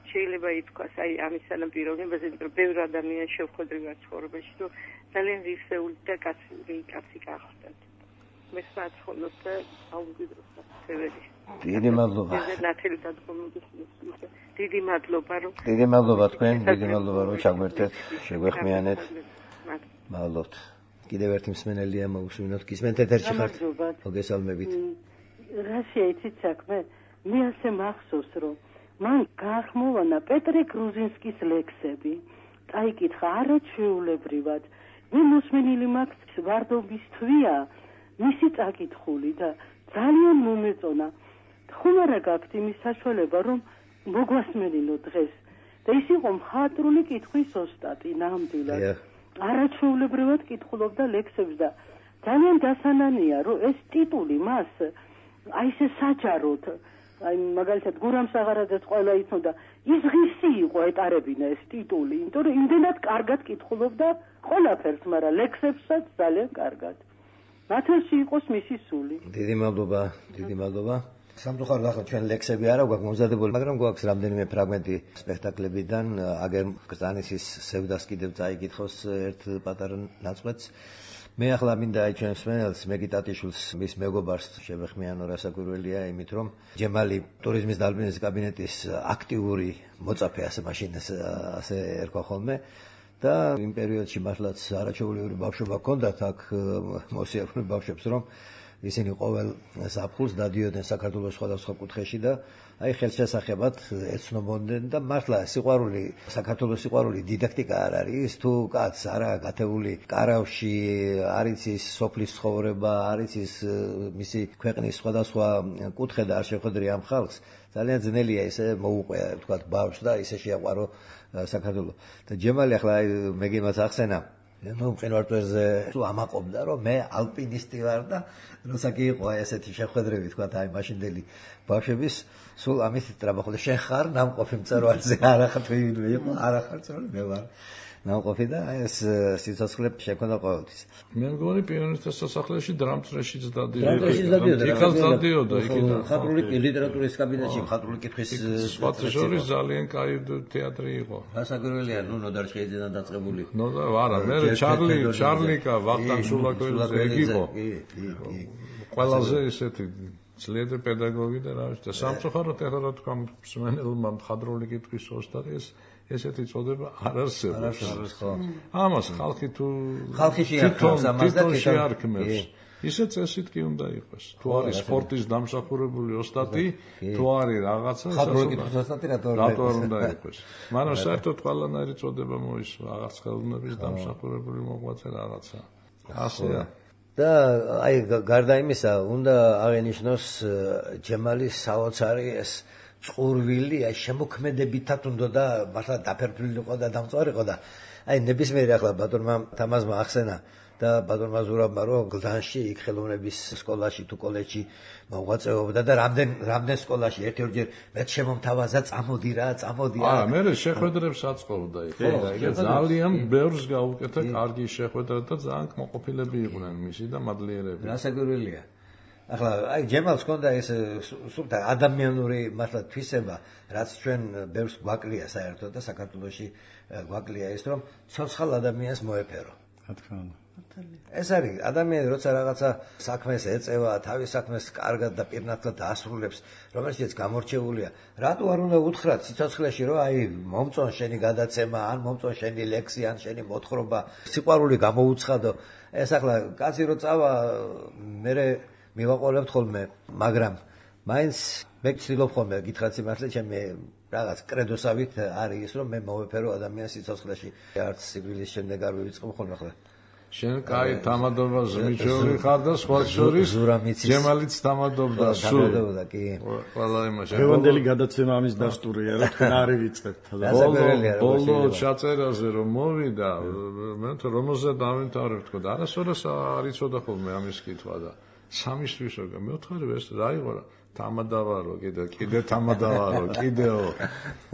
შეიძლება ითქვას აი ამის სანაპიროვნებაზე რომ ბევრი ადამიანი შევხვედრია ცხოვრებაში რომ ძალიან ღირსეული და კაცი გახდა მე საცხონოთ და აუგიდროს სევერი. დიდი მადლობა. დიდი მადლობა რომ დიდი მადლობა თქვენ, დიდი მადლობა რომ ჩაგვერთეთ, შეგვეხმიანეთ. მადლობთ. კიდევ ერთი მსმენელია მოусმინოთ. გისმენთ ეთერში ხართ? მოგესალმებით. რა შეიძლება საქმე? მე ასე მახსოვს რომ მან გაახმოვანა პეტრე გრუზინსკის ლექსები. წაიკითხა არაჩვეულებრივად. მე მოსმენილი მაქვს ვარდობის თვია მისი წაკითხული და ძალიან მომეწონა. ხომ არა გაქვთ იმის საშუალება რომ მოგვასმენინო დღეს და ის იყო მხატვრული კითხვის ოსტატი ნამდვილად. არაჩვეულებრივად კითხულობდა ლექსებს და ძალიან დასანანია რომ ეს ტიტული მას აი ესე საჯაროდ აი მაგალითად გურამ საღარაძეს ყველა იცნობდა ის ღირსი იყო ეტარებინა ეს ტიტული იმიტომ რომ იმდენად კარგად კითხულობდა ყველაფერს მაგრამ ლექსებსაც ძალიან კარგად მათელში იყოს მისი სული. დიდი მადლობა, დიდი მადლობა. სამწუხაროდ ახლა ჩვენ ლექსები არა გვაქვს მომზადებული, მაგრამ გვაქვს რამდენიმე ფრაგმენტი სპექტაკლებიდან, აგერ კრწანისის სევდას კიდევ წაიკითხოს ერთ პატარა ნაწყვეტს. მე ახლა მინდა აი ჩვენს მსმენელს მეგიტატიშვილს მის მეგობარს შევეხმიანო რასაკვირველია იმით რომ ჯემალი ტურიზმის და ალპინიზმის კაბინეტის აქტიური მოწაფე ასე მაშინ ასე ერქვა ხოლმე და იმ პერიოდში მართლაც არაჩვეულებრივი ბავშვობა ჰქონდათ აქ მოსიარულე ბავშვებს რომ ისინი ყოველ ზაფხულს დადიოდნენ საქართველოს სხვადასხვა კუთხეში და აი ხელშესახებად ეცნობოდნენ და მართლა სიყვარული საქართველოს სიყვარული დიდაქტიკა არ არის თუ კაც არა გათეული კარავში არის ის სოფლის ცხოვრება არის ის მისი ქვეყნის სხვადასხვა კუთხე და არ შეხვედრი ამ ხალხს ძალიან ძნელია ესე მოუყვია თქვა ბავშვს და ისე შეაყვარო საქართველო და ჯემალი ახლა მე გიმაც ახსენა ნუ მყინვარწვერზე თუ ამაყობდა რომ მე ალპინისტი ვარ და როცა კი იყო ესეთი შეხვედრები თქვა აი მაშინდელი ბავშვების სულ ამით ტრაბახობდა შენ ხარ ნამყოფი მწერვალზე არა ხარ თუ იყო არა ხარ მწერვალი მე ვარ ნამყოფი და ეს სიცოცხლე შექონდა ყოველთვის მე მგონი პიონერთა სასახლეში დრამწრეშიც დადიოდა იქაც დადიოდა იქიდან მხატვრული ლიტერატურის კაბინეტში მხატვრული კითხვის სხვათა შორის ძალიან კაი თეატრი იყო რასაკვირველია ნუ ნოდარჩხეიძიდან დაწყებული ნუ არა მე ჩარლიკა ვახტანგ სულაკოიძე ეგ იყო ყველაზე ესეთი ძლიერი პედაგოგი და რა ვიცი და სამწუხაროდ ახლა რა თქვა მსმენელმა მხატვრული კითხვის ოსტატი ესეთი წოდება არ არსებობს ხო ამას ხალხი თუ ხალხიში შეარქმევს ისე წესით კი უნდა იყოს თუ არის სპორტის დამსახურებული ოსტატი თუ არის რაღაცა მხატვრული კითხვის ოსტატი რატო უნდა იყოს მაგრამ საერთოდ ყველანაირი წოდება მოისვა რაღაც ხელოვნების დამსახურებული მოღვაწე რაღაცა ასეა და აი გარდა იმისა, უნდა აღენიშნოს ჯემალის საოცარი ეს წყურვილი, აი შემოქმედებითად უნდა და მართლა დაფერფლილიყო და დამწვარიყო და აი ნებისმიერი ახლა ბატონმა თამაზმა ახსენა და ბატონმა ზურაბმა რომ გლდანში იქ ხელოვნების სკოლაში თუ კოლეჯში მოღვაწეობდა და რამდენ სკოლაში ერთ-ერთჯერ მეც შემომთავაზა წამოდი. მე შეხვედრებს აწყობდა იქ. ხო, ძალიან ბევრს გაუკეთა კარგი შეხვედრა და ძალიან კმაყოფილები იყვნენ მისი და მადლიერები. რასაკვირველია. ახლა აი ჯემალს ჰქონდა ეს სულთა ადამიანური მართლა თვისება, რაც ჩვენ ბევრს გვაკლია საერთოდ და საქართველოში გვაკლია ის რომ ცოცხალ ადამიანს მოეფერო. რა თქმა უნდა. ეს არის ადამიანი როცა რაღაცა საქმეს ეწევა, თავის საქმეს კარგად და პირნათლად დაასრულებს, რომელშიც გამორჩეულია, რატო არ უნდა უთხრათ სიცოცხლეში რომ აი მომწონ შენი გადაცემა, ან მომწონ შენი ლექსი, ან შენი მოთხრობა, სიყვარული გამოუცხადო. ეს ახლა კაცი რო წავა, მე მივაყოლებთ ხოლმე, მაგრამ მაინც მე ვცდილობ ხოლმე გითხრათ სიმართლე, ჩემი რაღაც კრედოსავით არის ის რომ მე მოვეფერო ადამიანს სიცოცხლეში, არც სიკვდილის შემდეგ არ ვივიწყებ ხოლმე ახლა. შენ კაი თამადობას მიჩვევი ხარ და სხვა შორის ჯემალიც თამადობდა სულ. კი. ყველა იმაში. დღევანდელი გადაცემა ამის დასტურია, რა თქვენ არ ივიწყებთ. ბოლო ჩაწერაზე რომ მოვიდა, მე თვითონ რომელზე დავინთავრებ თქო და არასოდეს არ იცოდა ხოლმე ამის კითხვა და სამისთვის როგორ მეოთხარი ეს რა იყო რა თამადავარო კიდე თამადავარო კიდეო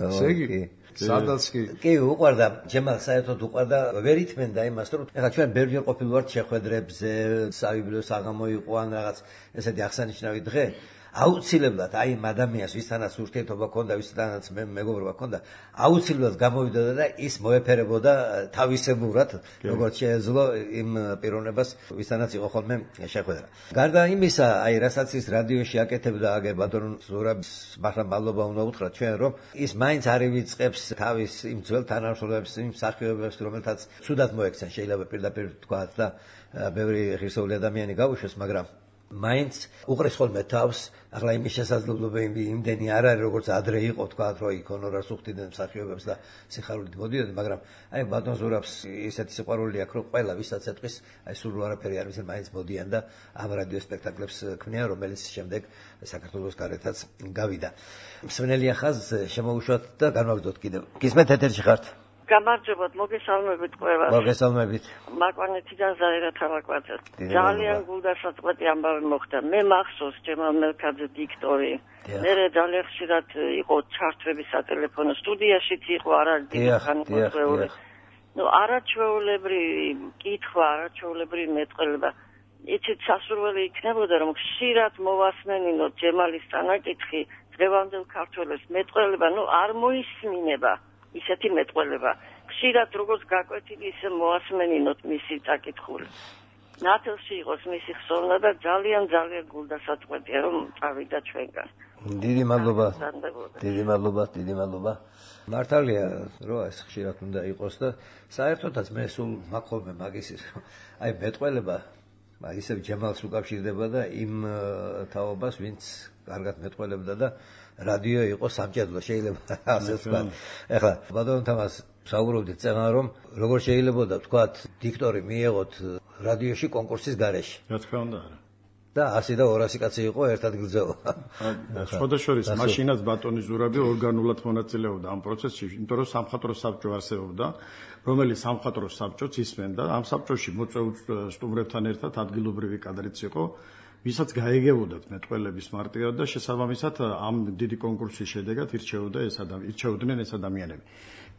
ესე იგი სადაც კი უყვარდა ჯემალს საერთოდ უყვარდა ვერ ითმენდა იმას რომ ეხლა ჩვენ ბევრჯერ ყოფილვართ შეხვედრებზე საბიბლიო საღამო იყო ან რაღაც ესეთი აღსანიშნავი დღე აუცილებლად აი იმ ადამიანს ვისთანაც ურთიერთობა ჰქონდა ვისთანაც მეგობრობა ჰქონდა აუცილებლად გამოვიდოდა და ის მოეფერებოდა თავისებურად როგორც შეეძლო იმ პიროვნებას ვისთანაც იყო ხოლმე შეხვედრა გარდა იმისა აი რასაც ის რადიოში აკეთებდა აგერ ბატონ ზურაბს მართლა მადლობა უნდა უთხრათ ჩვენ რომ ის მაინც არ ივიწყებს თავის იმ ძველ თანამშრომლებს იმ მსახიობებს რომელთაც ცუდად მოექცენ შეიძლება პირდაპირ თქვა და ბევრი ღირსეული ადამიანი გაუშვეს მაგრამ მაინც უყრის ხოლმე თავს ახლა იმის შესაძლებლობა იმდენი არ არის როგორც ადრე იყო თქვა რომ იქ ჰონორარს უხდიდნენ მსახიობებს და სიხარულით მოდიოდნენ მაგრამ აი ბატონ ზურაბს ისეთი სიყვარული აქვს რომ ყველა ვისაც ეთყვის აი სულ არაფერი არ ვიცი მაინც მოდიან და ამ რადიო სპექტაკლებს ქმნიან რომელიც შემდეგ საქართველოს გარეთაც გავიდა მსმენელია ხაზს შემოუშვათ და განვაგრძოთ კიდევ გისმენთ ეთერში ხართ გამარჯობათ, მოგესალმებით ყველას. მოგესალმებით. მაკვანეთიდან ზაირა თალაკვაძე. ძალიან გულდასაწყვეტი ამბავი მოხდა. მე მახსოვს ჯემალ მელქაძე დიქტორი. მე ძალიან ხშირად იყო ჩართვები სატელეფონო სტუდიაშიც იყო არაერთი ნუ არაჩვეულებრივი კითხვა, არაჩვეულებრივი მეტყველება. იცით სასურველი იქნებოდა რომ ხშირად მოვასმენინოთ ჯემალის წანაკითხი დღევანდელ ქართველებს მეტყველება, ნუ არ მოისმინება. ისეთი მეტყველება. ხშირად როგორც გაკვეთილი ისე მოასმენინოთ მისი წაკითხული. ნათელში იყოს მისი ხსოვნა და ძალიან გულდასაწყვეტია რომ წავიდა ჩვენგან. დიდი მადლობა. მართალია რომ ეს ხშირად უნდა იყოს და საერთოდაც მე სულ მაყოლმე მაგისის აი მეტყველება ისევ ჯემალს უკავშირდება და იმ თაობას ვინც კარგად მეტყველებდა და რადიო იყო სამჭედლო შეიძლება ასე ვთქვა. ეხლა ბატონ თამას საუბრობდით წეღან რომ როგორ შეიძლება და ვთქვათ დიქტორი მიეღოთ რადიოში კონკურსის გარეშე. რა თქმა უნდა არა. და 100 და 200 კაცი იყო ერთად გრძელო. სხვადასხვა მაშინაც ბატონი ზურაბი ორგანულად მონაწილეობდა ამ პროცესში, იმიტომ რომ სამხატვრო საბჭო არსებობდა, რომელიც სამხატვრო საბჭოც ისმენდა, ამ საბჭოში მოწვეულ სტუმრებთან ერთად ადგილობრივი კადრიც იყო. ვისაც გაეგებოდათ მეტყველების მარტივად და შესაბამისად ამ დიდი კონკურსის შედეგად ირჩეოდნენ ეს ადამიანები.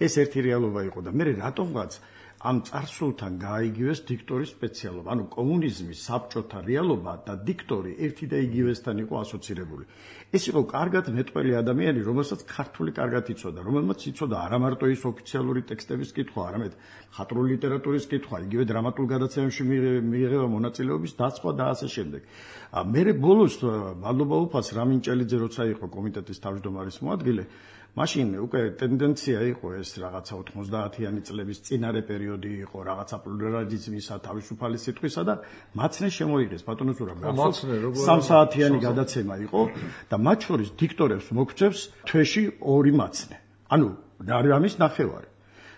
ეს ერთი რეალობა იყო და მე რატომღაც ამ წარსულთან გაიგივეს დიქტორის სპეციალობა. ანუ კომუნიზმის საბჭოთა რეალობა და დიქტორი ერთი და იგივესთან იყო ასოცირებული. ეს იყო კარგად მეტყველი ადამიანი, რომელსაც ქართული კარგად იცოდა, რომელმაც იცოდა არა მარტო ის ოფიციალური ტექსტების კითხვა, არამედ მხატვრული ლიტერატურის კითხვა, იგივე დრამატულ გადაცემებში მიიღება მონაწილეობის დაცვა და ასე შემდეგ. მე ბოლოს მადლობა უფალს რამინჭელიძე როცა იყო კომიტეტის თავმჯდომარის მოადგილე, მაშინ უკვე ტენდენცია იყო ეს რაღაცა 90-იანი წლების წინარე პერიოდი იყო, რაღაცა პლურალიზმისა, თავისუფალი სიტყვისა და მაცნე შემოიღეს ბატონო ზურაბი. 3 საათიანი გადაცემა იყო და მათ შორის დიქტორებს მოგწევს თვეში 2 მაცნე. ანუ რამის ნახევარი.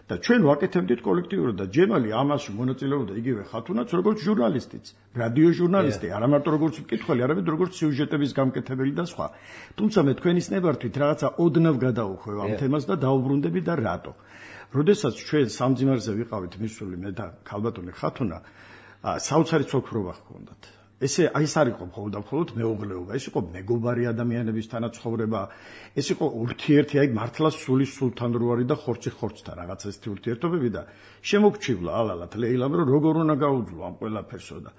და ჩვენ ვაკეთებდით კოლექტიურად და ჯემალი ამაში მონაწილეობდა იგივე ხათუნაც როგორც ჟურნალისტიც, რადიო ჟურნალისტი, არა მარტო როგორც მკითხველი, არამედ როგორც სიუჟეტების გამკეთებელი და სხვა. თუმცა მე თქვენის ნებართვით რაღაცა ოდნავ გადავუხვევ ამ თემას და დაუბრუნდები და რატო. როდესაც ჩვენ სამძიმარზე ვიყავით მისული მე და ქალბატონი ხათუნა, საოცარი ცოლქრობა ჰქონდათ. ეს არ იყო მხოლოდ მეუღლეობა, ეს იყო მეგობარი ადამიანების თანაცხოვრება, ეს იყო ურთიერთი, აი მართლა სულის სულთან რო არის და ხორცი ხორცთან რაღაც ესეთი ურთიერთობები და შემოგჩივლა ალალად ლეილამ რომ როგორ უნდა გაუძლო ამ ყველაფერსო და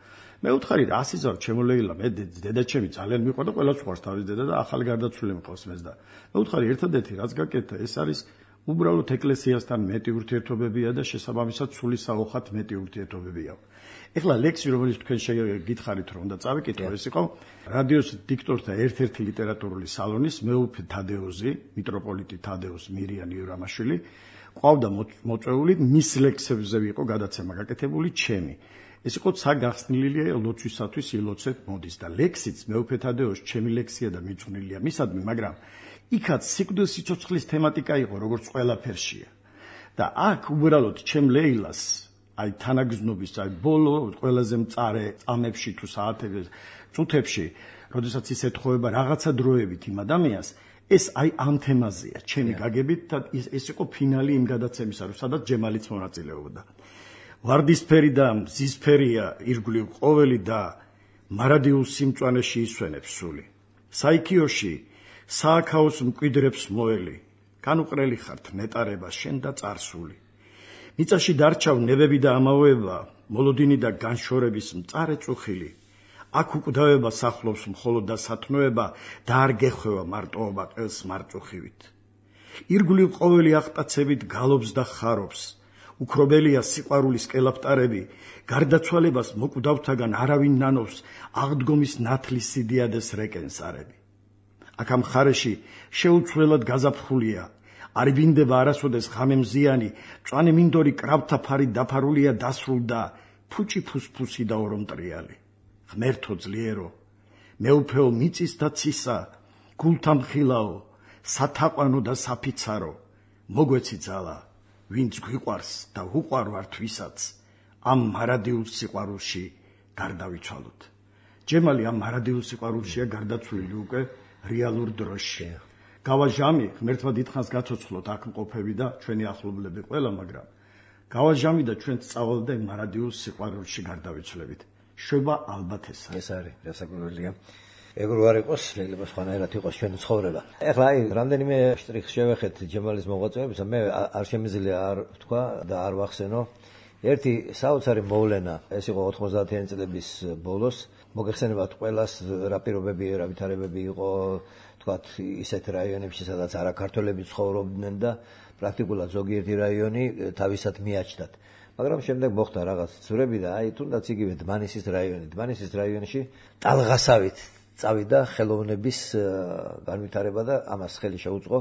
მე ვთხარი რა ასიზავ ჩემო ლეილა მე დედაჩემი ძალიან მიყვარდა ყველას უყვარს თავის დედა და ახალი გარდაცვლილი მყავს მეც და მე ვთხარი ერთადერთი რაც გაკეთა ეს არის უბრალოდ ეკლესიასთან მეტი ურთიერთობებია და შესაბამისად სულის საოხად მეტი ურთიერთობებია. ეხლა ლექსი რომელიც თქვენ გითხარით რომ უნდა წავიკითხო ეს იყო რადიოს დიქტორთა ერთ-ერთი ლიტერატურული სალონის მეუფე თადეოზი, მიტროპოლიტი თადეოს მირიანი იურამაშვილი, ყავდა მოწვეული მის ლექსებზე იყო გადაცემა გაკეთებული ჩემი. ეს იყო ცა გახსნილია ლოცვისათვის ილოცეთ მოდის და ლექსიც მეუფე თადეოს ჩემი ლექსია და მიძღვნილია მისადმი, მაგრამ იქაც სიკვდილის სიცოცხლის თემატიკა იყო როგორც ყველაფერშია. და აქ უბრალოდ ჩემ ლეილას აი თანაგზნობის აი ბოლო ყველაზე მწარე წამებში თუ საათებში წუთებში როდესაც ის ეთხოვება რაღაცა დროებით იმ ადამიანს ეს აი ამ თემაზეა ჩემი გაგებით და ეს იყო ფინალი იმ გადაცემისა რომ სადაც ჯემალიც მონაწილეობდა ვარდისფერი და მზისფერია ირგვლივ ყოველი და მარადიულ სიმწვანეში ისვენებს სული საიქიოში სააქაოს მკვიდრებს მოელი განუყრელი ხართ ნეტარება შენ და წარსული მიწაში დარჩავ ნებები და ამავეება, მოლოდინი და განშორების მწარე წუხილი. აქ უკვდავება სახლობს მხოლოდ და სათნოება და არ გეხვევა მარტოობა ყელს მარწუხივით. ირგვლივ ყოველი აღტაცებით გალობს და ხარობს. უკრობელია სიყვარულის კელაპტარები, გარდაცვალებას მოკვდავთაგან არავინ ნანობს, აღდგომის ნათლის სიდიადეს რეკენსარები. აქ ამ ხარეში შეუცვლელად გაზაფხულია. არ ვინდება არასოდეს ღამე მზიანი, მწვანე მინდორი კრავთა ფარი დაფარულია დასრულ და ფუჭი ფუსფუსი და ორომტრიალი. ღმერთო ძლიერო, მეუფეო მიწის და ცისა, გულთა მხილაო, სათაყვანო და საფიცარო, მოგვეცი ძალა, ვინც გვიყვარს და უყვარ ვართ ვისაც, ამ მარადიულ სიყვარულში გარდავიცვალოთ. ჯემალი ამ მარადიულ სიყვარულშია გარდაცვლილი უკვე რეალურ დროში. გავა ჟამი ღმერთმა დიდხანს გაცოცხლოთ აქ მყოფები და ჩვენი ახლობლები ყველა, მაგრამ გავა ჟამი და ჩვენ სწავლ და მარადიულ სიყვარულში გარდავიცვლებით. შვება ალბათ ესა. ეს არის დასაკვირველია. ეგრე არ იყოს, შეიძლება სხვანაირად იყოს ჩვენი ცხოვრება. ეხლა აი რამდენიმე შტრიხს შევეხეთ ჯემალის მოღვაწეობისა, მე არ შემიძლია არ ვთქვა და არ ვახსენო. ერთი საოცარი მოვლენა, ეს იყო 90-იანი წლების ბოლოს, მოგეხსენებათ ყველას რა პირობები, რა ვითარებები იყო თქვათ ისეთ რაიონებში, სადაც არაქართველები ცხოვრობდნენ და პრაქტიკულად ზოგიერთი რაიონი თავისად მიაჩნდათ. მაგრამ შემდეგ მოხდა რაღაც ცვლილებები და აი თუნდაც იგივე დმანისის რაიონი. დმანისის რაიონში ტალღასავით წავიდა ხელოვნების განვითარება და ამას ხელი შეუწყო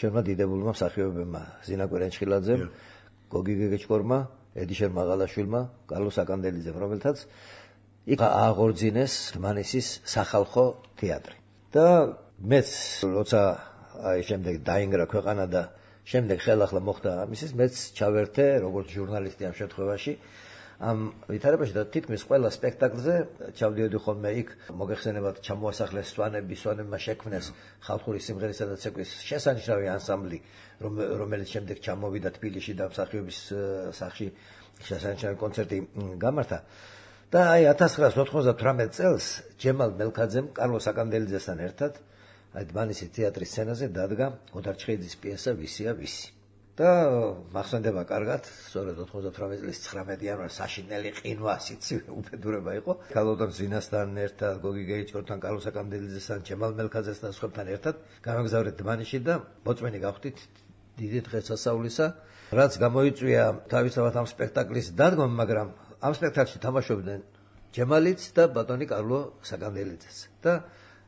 ჩვენმა დიდებულმა მსახიობებმა ზინა კვირენჩხილაძემ, გოგი გეგეჭკორმა, ედიშერ მაღალაშვილმა, კარლოს აკანდელიძემ, რომელთაც იქ აღორძინეს დმანისის სახალხო თეატრი. და მეც როცა აი შემდეგ დაინგრა ქვეყანა და შემდეგ ხელახლა მოხდა ამისის, მეც ჩავერთე როგორც ჟურნალისტი ამ შემთხვევაში ამ ვითარებაში და თითქმის ყველა სპექტაკლზე ჩავდიოდი ხოლმე იქ მოგეხსენებათ ჩამოასახლეს სვანები, სვანებმა შექმნეს ხალხური სიმღერისა და ცეკვის შესანიშნავი ანსამბლი, რომელიც შემდეგ ჩამოვიდა თბილისში და მსახიობის სახლში შესანიშნავი კონცერტი გამართა. და აი 1998 წელს ჯემალ მელქაძემ კარლოს აკანდელიძესთან ერთად აი დმანისის თეატრის სცენაზე დადგა ოდარ ჩხეიძის პიესა ვისია ვისი. და მახსენდება კარგად, სწორედ 98 წლის 19 იანვარს საშინელი ყინვა, სიცივე უბედურება იყო. ქალბატონ ზინასთან ერთად, გოგი გეიჭკორთან, კარლოს აკანდელიძესთან, ჯემალ მელქაძესთან და სხვებთან ერთად გამაგზავრეთ დმანისში და მოწმენი გავხდით დიდი დღესასწაულისა, რაც გამოიწვია თავისთავად ამ სპექტაკლის დადგმა, მაგრამ ამ სპექტაკლში თამაშობდნენ ჯემალიც და ბატონი კარლო საკანდელიძეც. და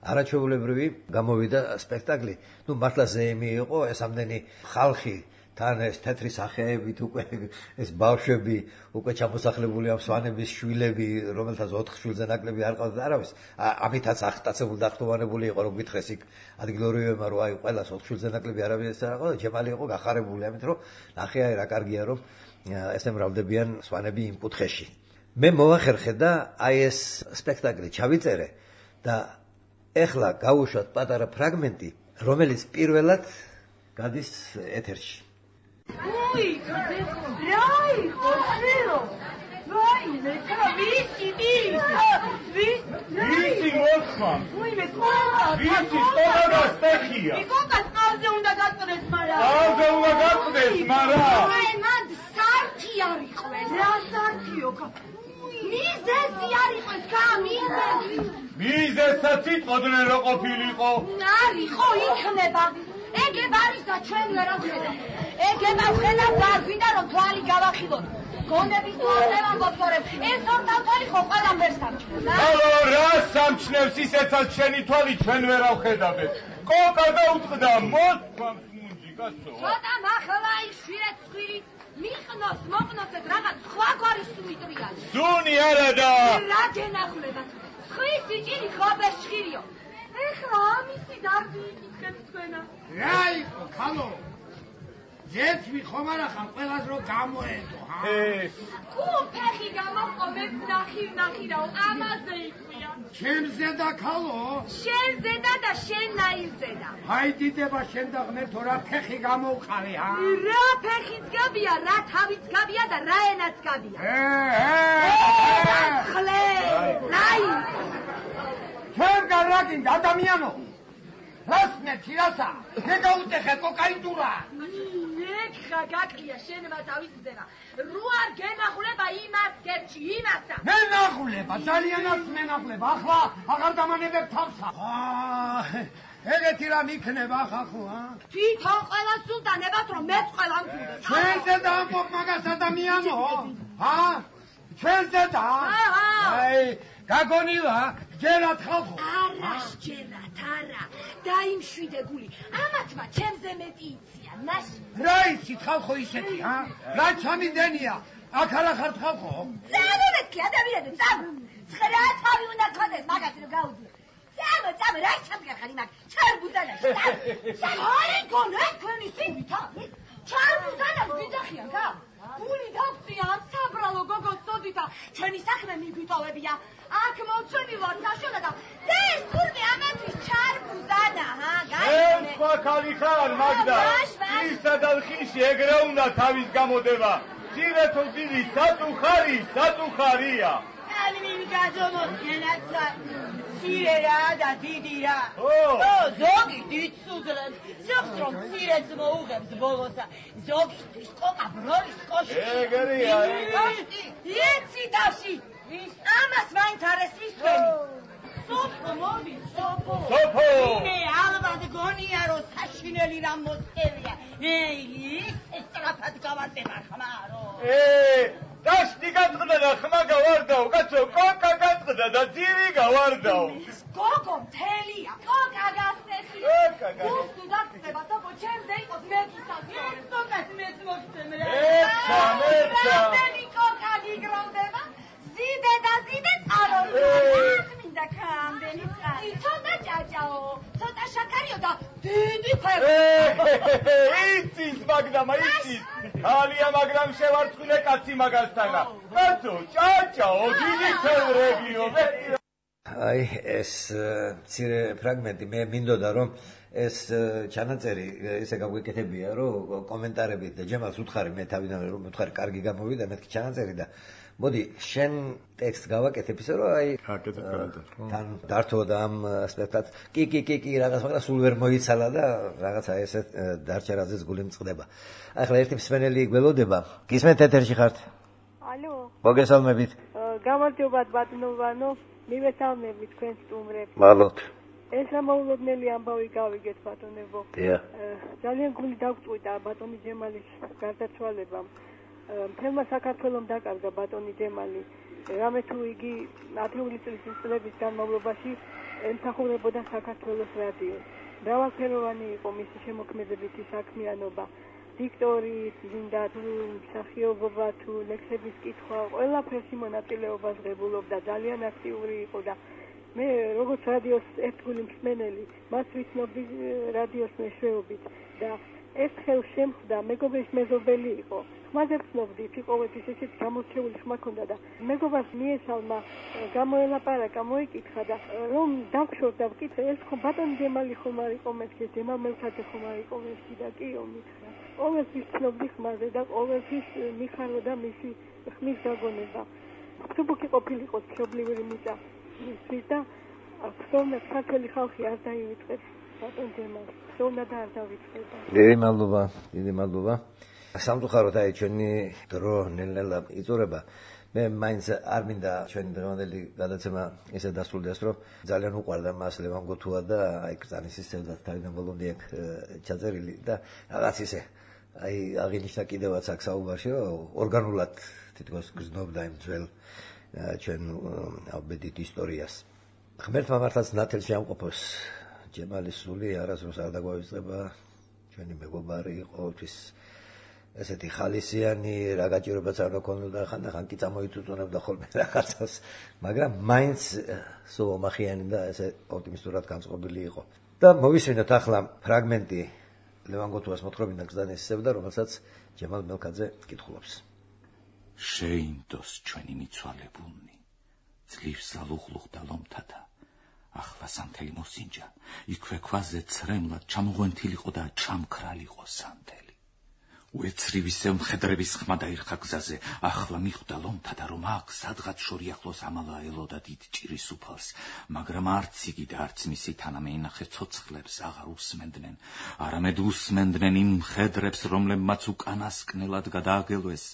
არაჩვეულებრივი გამოვიდა სპექტაკლი. ნუ მართლა ზეიმი იყო, ეს ამდენი ხალხი თან ეს თეთრი სახეებით უკვე ეს ბავშვები უკვე ჩამოსახლებული ამ სვანების შვილები, რომელთაც 4 შვილზე ნაკლები არ ყავდა არავის. ამითაც ახტაცებული დახტოვანებული იყო, რომ გითხრეს იქ ადგილობრივებმა, რომ აი ყველას 4 შვილზე ნაკლები არავის არ ყავდა, ჯემალი იყო გახარებული ამით, რომ ნახე აი რა კარგია, რომ ესე მრავლდებიან სვანები იმ კუთხეში. მე მოვახერხე და აი ეს სპექტაკლი ჩავიწერე და ეხლა გავუშვათ პატარა ფრაგმენტი, რომელიც პირველად გადის ეთერში. Ui, dai, cos'ero? Vai, me capisci, Visi Moskva. Ui, me conta. Visi toda da stehia. Me conta, auze unda gaqdes mara. Auze unda gaqdes mara. Ai, man, sarti ariqves. Ra sartio ka. Mizesi ariqves ka, mizesi. Mizesat sitqoდნენ რო ყოფილიყო. არისო იქნება. ეგ არის და ჩვენ ვერ ავხედავ. ეგება ვხედავ დაგვიდა რომ თვალი გავახილოთ. გონების თვალზე ვამბობთ, ეს ორთავთვალი ხო ყველამ ვერ სამჩნევს. ალო, რა სამჩნევს ისეცაც შენი თვალი ჩვენ ვერ ავხედავთ. კოკა დაუწყდა მოთქვამს მუნჯი, კაცო. ცოტა მახლა იშვიეთ ცხვირი მიყნოს, მოყნოს ეს რაღაც სხვა გვარის სუიტრია. სუნი არა და რა გენახულებათ. ხვის სიჭირი ხობეს ჭირიო. ეხლა ამისი დარდი იკითხებს თქვენა. რა იყო, ხალო? ძეცვი ხომ არა ხარ ყველას რო გამოედო, ჰა? კუფეხი გამოყომებ ნახირნახირაო, ამაზე იყვია. ჩემზე და ხალო? შენზე და შენ ნაირზედა. აი დიდება შენ და ღმერთო რა ფეხი გამოვყავი, ჰა? რა ფეხიც გაბია, რა თავიც გაბია და რა ენაც გაბია. ხლე, რაი. ჩვენ გარაგინდა ადამიანო. რასმე თირასა, მე გაუტეხე კოკაინტურა. ეხა გაკლია შენმა თავისზენა. რო არ გენახულება იმას გერჩი, იმასა. მე ნახულება, ძალიანაც მე ნახულება. ახლა აღარ დამანებებ თავსა. ეგეთი რამ იქნება ხახო, ჰა? თვითონ ყველა სულტანებად რომ მეც ყველა მგულდეს. ჩვენზე დაამბობ მაგას ადამიანო, ჰა? ჩვენზე და? აი, გაგონილა, ჯერათ ხალხო. არა, ჯერათ, არა. დაიმშვიდე გული. ამათმა ჩემზე მეტი იციან, ნაში. რა იცით ხალხო ისეთი, ჰა? რა ჩამიდენია? აქ არა ხართ ხალხო? წამოვეცი ადამიანები, წამო. ცხრა თავი უნდა გქონდეს მაგას რომ გაუძლო. წამო, რა ჩამგახარი მაგ ჩარბუზანაში. აი, გონე თქვენი სივითა. ჩარბუზანას ვიძახიან, გა? გული გავწია ამ საბრალო გოგოს სოდითა. ჩვენი საქმე მიგვიტოვებია. აქ მოვცვენი ვარ საშოლა და ეს თურმე ამათვის ჩარბუზანა, ჰა? ეს სხვა ქალი ხარ, მაგდა. ისა და ხიში ეგრე უნდა თავის გამოდება. ძირე თუ ძირი საწუხარია. აი მინი გაძომოსგენაცა. ცირე რა და დიდი რა. ზოგი დიდ სუძრებს. ზოგს რომ ცირეც მოუღებს ბოლოსა. ზოგისთვის კოკა ბროლის კოშკი. ეგრეა. იცი დაში. ამას მაინც არ ესმის თქვენი. სოფო მოდი, სოფო. მე ალბათ გონია რომ საშინელი რამ მოსწევია. ეს სწრაფად გავარდება ხმარო. დაშტი გაწყდა და ხმა გავარდაო, კაცო, კოკა გაწყდა და ძირი გავარდაო. გოგო მთელია, კოკა გასწეხი. გუსტი დაგწება, თქო, ჩემზე იყოს მეკისაზე. ეს კოკას მეც მოგწემ რა. რამდენი კოკა გიგროვდება? ზიდე წაროდგა. მინდა კამდენი წარი. ცოტა ჭაჭაო, ცოტა შაქარიო და დიდი ფერი. იცის მაგდამა, იცის. ხალია, მაგრამ შევარცხნე კაცი მაგასთანა. კაცო, ჭაჭაო, დიდი ფერებიო. აი, ეს მცირე ფრაგმენტი მე მინდოდა რომ ეს ჩანაწერი ესე გაგვეკეთებია რომ კომენტარებით და ჯემალს უთხარი მე თავიდან რომ უთხარი კარგი გამოვიდა მეთქი ჩანაწერი და მოდი შენ ტექსტ გავაკეთებ ისე რომ აი თან დართო და ამ სპექტაკლს კი რაღაც მაგრამ სულ ვერ მოიცალა და რაღაცა ესე დარჩერაზეც გული მწყდება. აი ხლა ერთი მსმენელი გველოდება. გისმენთ ეთერში ხართ? ალო. მოგესალმებით. გამარჯობათ ბატონო, მივესალმებით თქვენ სტუმრებს. მადლობთ. ეს ამოულოდნელი ამბავი გავიგეთ ბატონებო. დიახ. ძალიან გული დაგვწყვიტა ბატონი ჯემალის გარდაცვალებამ. მთელმა საქართველომ დაკარგა ბატონი ჯემალი. რამე თუ იგი ათეული წლების განმავლობაში ემსახურებოდა საქართველოს რადიოს. მრავალფეროვანი იყო მისი შემოქმედებითი საქმიანობა. დიქტორი, გინდა თუ მსახიობობა თუ ლექსების კითხვა, ყველაფერში მონაწილეობას ღებულობდა, ძალიან აქტიური იყო და მე როგორც რადიოს ერთგული მსმენელი, მას ვიცნობდი რადიოს მეშვეობით და ეს ხელ შემხვდა, მეგობრის მეზობელი იყო. ხმაზე ვცნობდით, ყოველთვის ესეთ გამორჩეული ხმა ჰქონდა და მეგობარს მიესალმა, გამოელაპარაკა, მოიკითხა და რომ დავშორდა ვკითხე, ეს ხომ ბატონი ჯემალი ხომ არ იყო მეთქე, ჯემალ მელქაძე ხომ არ იყო მეთქი და კი მითხრა. ყოველთვის ვცნობდი ხმაზე და ყოველთვის მიხაროდა მისი ხმის გაგონება. ფსუბუქი ყოფილიყო მშობლიური მიწა მისთვის და ხსოვნა საქართველოს ხალხი არ დაივიწყებს ბატონ ჯემალს. ხსოვნა და არ დავიწყება. დიდი მადლობა. სამწუხაროდ აი ჩვენი დრო ნელ-ნელა იწურება. მე მაინც არ მინდა ჩვენი დღევანდელი გადაცემა ესე დასრულდეს, რომ ძალიან უყვარდა მას ლევან გოთუა და აი კრწანის სისტემაც თავიდან ბოლომდე აქ ჩაწერილი და რაღაც ისე აი აღინიშნა კიდევაც აქ საუბარში, რომ ორგანულად თითქოს გრძნობდა იმ ძველ ჩვენ აბედით ისტორიას. ღმერთმა მართლაც ნათელში ამყოფოს ჯემალის სული არასდროს არ დაგვავიწყება, ჩვენი მეგობარი ყოველთვის ესეთი ხალისიანი, რა გაჭირებაც არ გქონოდა, ხანდახან კი წამოიწუწუნებდა ხოლმე რაღაცას, მაგრამ მაინც სულ ომახიანი და ესე ოპტიმისტურად განწყობილი იყო. და მოვისმინოთ ახლა ფრაგმენტი ლევან გოთუას მოთხრობიდან გზდანის სევდა, რომელსაც ჯემალ მელქაძე კითხულობს. შეინდოს ჩვენი მიცვალებულნი, ძლივს ალუღლუღდა ლომთადა, ახლა სანთელი მოსინჯა, იქვე ქვაზე ცრემლად ჩამოღვენთილიყო და ჩამქრალიყო სანთელი. უეცრივისე მხედრების ხმა დაირხა გზაზე, ახლა მიხვდა ლომთადა, რომ აქ სადღაც შორიახლოს ამალა ელოდა დიდ ჭირის უფალს, მაგრამ არც იგი და არც მისი თანამეინახე ცოცხლებს აღარ უსმენდნენ, არამედ უსმენდნენ იმ მხედრებს, რომლებმაც უკანასკნელად გადააგელვეს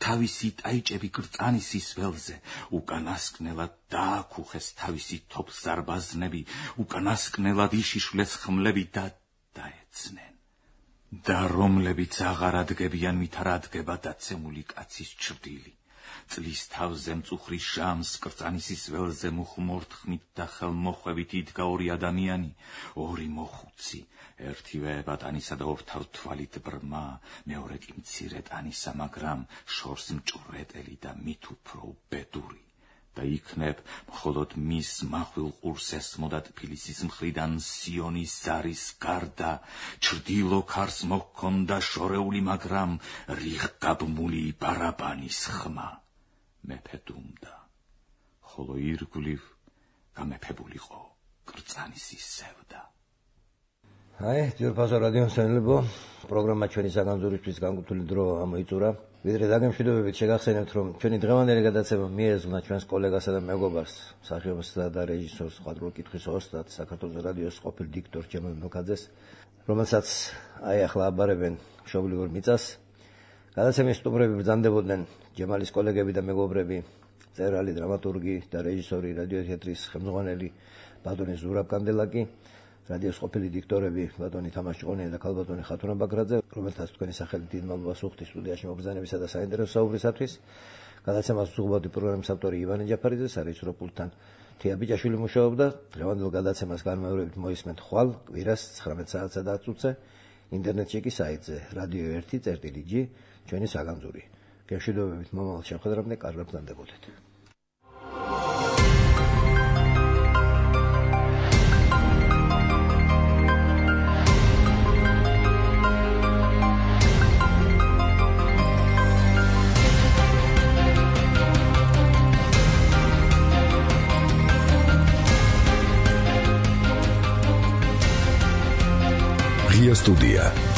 თავისი ტაიჭები კრწანისის ველზე, უკანასკნელად დააკუხეს თავისი თოფსარბაზნები, უკანასკნელად იშიშვლეს ხმლები და დაეცნენ. და რომლებიც აღარ ადგებიან მით არ ადგება დაცემული კაცის ჩრდილი. წლის თავზე მწუხრი შამს კრწანისის ველზე მუხმორთხმით და ხელმოხვევით იდგა ორი ადამიანი, ორი მოხუცი, ერთივე ბატანისა და ორთავ თვალით ბრმა, მეორე კი მცირე ტანისა, მაგრამ შორს მჭვრეტელი და მით უფრო უბედური. და იქნებ მხოლოდ მის მახვილ ყურს ესმოდა თბილისის მხრიდან სიონის ზარის გარდა, ჩრდილო ქარს მოჰქონდა შორეული, მაგრამ რიხგაბმული ბარაბანის ხმა. მეფე დუმდა, ხოლო ირგვლივ გამეფებულიყო კრწანისის სევდა. აი, ძვირფასო რადიო მსმენელებო, პროგრამა ჩვენი საგანძურისთვის განკუთვნილი დრო ამოიწურა. ვიდრე დაგემშვიდობებით შეგახსენებთ, რომ ჩვენი დღევანდელი გადაცემა მიეძღვნა ჩვენს კოლეგასა და მეგობარს, მსახიობსა და რეჟისორს, ხვადრული კითხვის ოსტატ, საქართველოს რადიოს ყოფილ დიქტორ ჯემალ მელქაძეს, რომელსაც აი ახლა აბარებენ მშობლიურ მიწას. გადაცემის სტუმრები ბრძანდებოდნენ ჯემალის კოლეგები და მეგობრები, მწერალი, დრამატურგი და რეჟისორი, რადიო თეატრის ხელმძღვანელი ბატონი ზურაბ კანდელაკი, რადიოს ყოფილი დიქტორები ბატონი თამაშ ჭყონია და ქალბატონი ხათუნა ბაგრაძე, რომელთაც თქვენი სახელით დიდ მადლობას ვუხდით სტუდიაში მობრძანებისა და საინტერესო საუბრისათვის. გადაცემას უძღვებოდი პროგრამის ავტორი ივანე ჯაფარიძე, სარეჟისორო პულტთან თია ბიჭაშვილი მუშაობდა. დღევანდელ გადაცემას განმეორებით მოისმენთ ხვალ კვირას 19 საათსა და 10 წუთზე ინტერნეტში კი საიტზე radio1.gi ჩვენი საგანძური. გემშვიდობებით მომავალ შეხვედრამდე, კარგად ბრძანდებოდეთ. Студия.